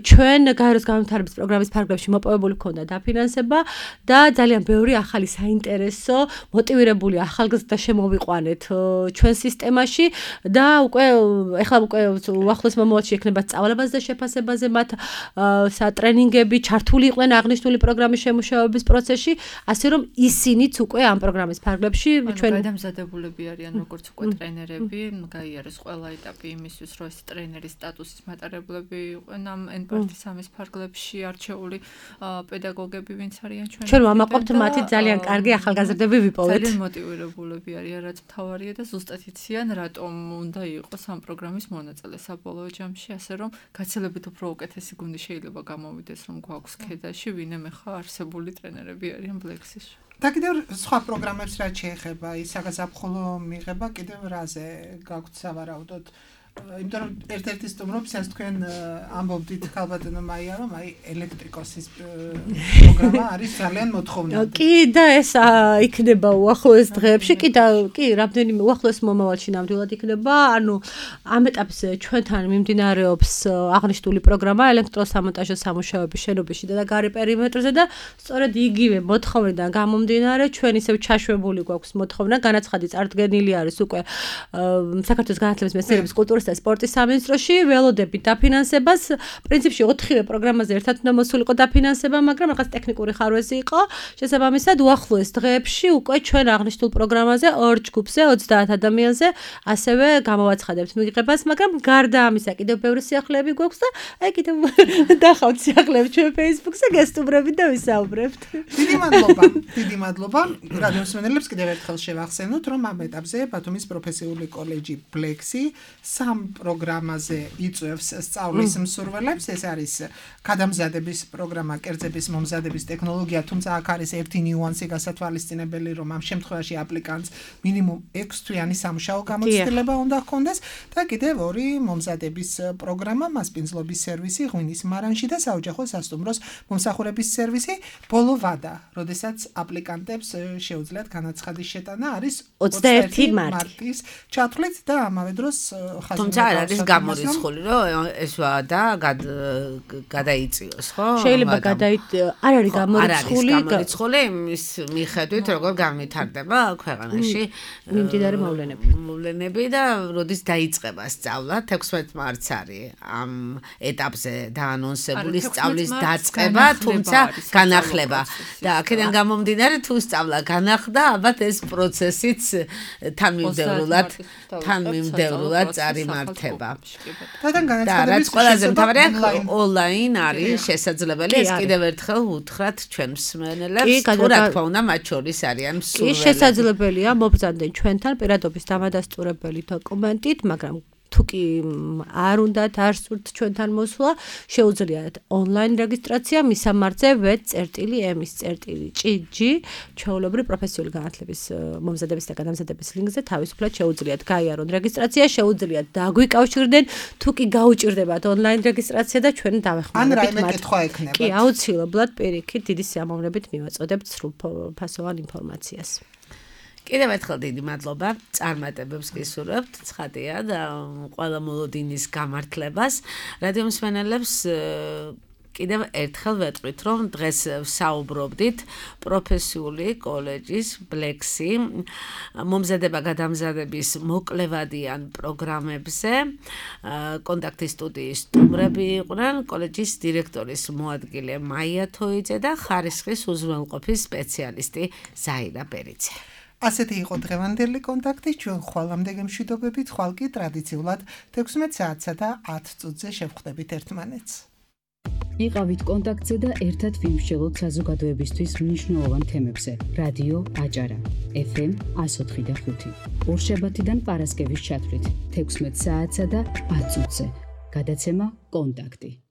ჩვენ გაეროს განვითარების პროგრამის ფარგლებში მოპოვებული ქონდა დაფინანსება და ძალიან ბევრი ახალი საინტერესო, მოტივირებული ახალგაზრდა შემოვიყვანეთ ჩვენ სისტემაში და ეხლა უკვე უახლოეს მომავალში ექნება სწავლებაზე და შეფასებაზე მათ სატრენინგები ჩართული იყვნენ აღნიშნული პროგრამის შემუშავების პროცესში, ასე რომ ისინიც უკვე ამ პროგრამის ფარგლებში ჩვენ გადამზადებულები არიან როგორც უკვე ტრენერები, გაიარეს ყველა ეტაპი იმისთვის, რომ ეს ტრენერის სტატუსის მატარებლები იყვნენ ამ NPART-3-ის ფარგლებში არჩეული პედაგოგები, ვინც არიან ჩვენ. ჩვენ ვამაყობთ მათი ძალიან კარგი ახალგაზრდები ვიპოვეთ. ძალიან მოტივირებულები არიან, რაც მთავარია და ზუსტად იციან, რატომ უნდა იყოს ამ პროგრამის მონაწილე საბოლოო ჯამში, ასე რომ გაცილებით უფრო უკეთესი გუნდი შეიძლება გამოვიდეს, რომ გვაქვს ქედაში, ვინმე ხა არსებული ტრენერები არიან ბლექსიში. და კიდევ სხვა პროგრამებს რაც შეეხება, ის საგაზაფხულო მიღება კიდევ რაზე გაქვთ სავარაუდოდ? იმიტომ რომ ერთ-ერთი სტუმრობისას თქვენ ამბობდით ხალბატონო მაია, რომ აი ელექტრიკოსის პროგრამა არის ძალიან მოთხოვნადი. კი და ეს იქნება უახლოეს დღეებში, კი, რამდენიმე უახლოეს მომავალში ნამდვილად იქნება. ანუ ამ ეტაპზე ჩვენთან მიმდინარეობს აღნიშნული პროგრამა ელექტროსამონტაჟო სამუშაოების შენობებში და გარე პერიმეტრზე და სწორედ იგივე მოთხოვნიდან გამომდინარე, ჩვენ ისევ ჩაშვებული გვაქვს მოთხოვნა, განაცხადი წარდგენილი არის უკვე საქართველოს განათლების მეცნიერების კულტურის და სპორტის სამინისტროში ველოდებით დაფინანსებას. პრინციპში 4-ვე პროგრამაზე ერთად უნდა მოსულიყო დაფინანსება, მაგრამ რაღაც ტექნიკური ხარვეზი იყო. შესაბამისად, უახლოეს დღეებში უკვე ჩვენ აღნიშნულ პროგრამაზე 2 ჯგუფზე 30 ადამიანზე ასევე გამოვაცხადებთ მიღებას, მაგრამ გარდა ამისა კიდევ ბევრი სიახლეები გვაქვს და აი კიდევ დახავთ სიახლეებს ჩვენ Facebook-ზე გესტუმრებით და ვისაუბრებთ. დიდი მადლობა. რადიოსმენელებს კიდევ ერთხელ შევახსენოთ, რომ ამ ეტაპზე ბათუმის პროფესიული კოლეჯი ბლექსი 3 ამ პროგრამაზე იწვევს სწავლის მსურველებს. ეს არის გადამზადების პროგრამა, კერძების მომზადების ტექნოლოგია, თუმცა აქ არის ერთი ნიუანსი გასათვალისწინებელი, რომ ამ შემთხვევაში აპლიკანტს მინიმუმ 6 თვიანი სამუშაო გამოცდილება უნდა ჰქონდეს და კიდევ ორი მომზადების პროგრამა, მასპინძლობის სერვისი, ღვინის მარანში და საოჯახო სასტუმროს მომსახურების სერვისი. ბოლო ვადა, როდესაც აპლიკანტებს შეუძლიათ განაცხადის შეტანა არის 21 მარტის ჩათვლით და ამავე დროს ხაზი. თუმცა არ არის გამორიცხული, რომ ეს ვადა გადაიწიოს, ხო? შეიძლება არ არის გამორიცხული იმის მიხედვით, როგორ განვითარდება ქვეყანაში მიმდინარე მოვლენები და როდის დაიწყება სწავლა, 16 მარტს არის ამ ეტაპზე დაანონსებული სწავლის დაწყება, თუმცა განახლება. და აქედან გამომდინარე, თუ სწავლა განახლდა, ალბათ ეს პროცესიც თანმიმდევრულად წარიმართება. და რაც ყველაზე მთავარია, ონლაინ არის შესაძლებელი. ეს კიდევ ერთხელ უთხრათ ჩვენ მსმენელებს, თუ რა თქმა უნდა, მათ შორის არიან მსურველები. კი, შესაძლებელია მობრძანდნენ ჩვენთან პირადობის დამადასტურებელი დოკუმენტით, მაგრამ თუ კი არ უნდათ, არ სურთ ჩვენთან მოსვლა, შეუძლიათ ონლაინ რეგისტრაცია მისამართზე www.ms.gg ჩვეულებრივი პროფესიული განათლების მომზადების და გადამზადების ლინკზე თავისუფლად შეუძლიათ გაიარონ რეგისტრაცია, შეუძლიათ დაგვიკავშირდნენ, თუ კი გაუჭირდებათ ონლაინ რეგისტრაცია და ჩვენ დავეხმარებით ან რაიმე კითხვა ექნებათ. კი, აუცილებლად პირიქით დიდი სიამოვნებით მივაწოდებთ სრულფასოვან ინფორმაციას. კიდევ ერთხელ დიდი მადლობა წარმატებებს გისურვებთ, ცხადია და ყველა მოლოდინის გამართლებას. რადიო მსმენელებს კიდევ ერთხელ ვეტყვით, რომ დღეს ვსაუბრობდით პროფესიული კოლეჯის ბლექსი მომზადება-გადამზადების მოკლევადიან პროგრამებზე. კონტაქტის სტუდიის სტუმრები იყვნენ კოლეჯის დირექტორის მოადგილე მაია თოიძე და ხარისხის უზრუნველყოფის სპეციალისტი ზაირა პერიძე. ასეთი იყო დღევანდელი კონტაქტი, ჩვენ ხვალამდე გემშვიდობებით, ხვალ კი ტრადიციულად 16 საათსა და 10 წუთზე შევხვდებით ერთმანეთს. იყავით კონტაქტზე და ერთად ვიმსჯელოთ საზოგადოებისთვის მნიშვნელოვან თემებზე. რადიო აჭარა, FM 104.5. ორშაბათიდან პარასკევის ჩათვლით 16 საათსა და 10 წუთზე. გადაცემა კონტაქტი.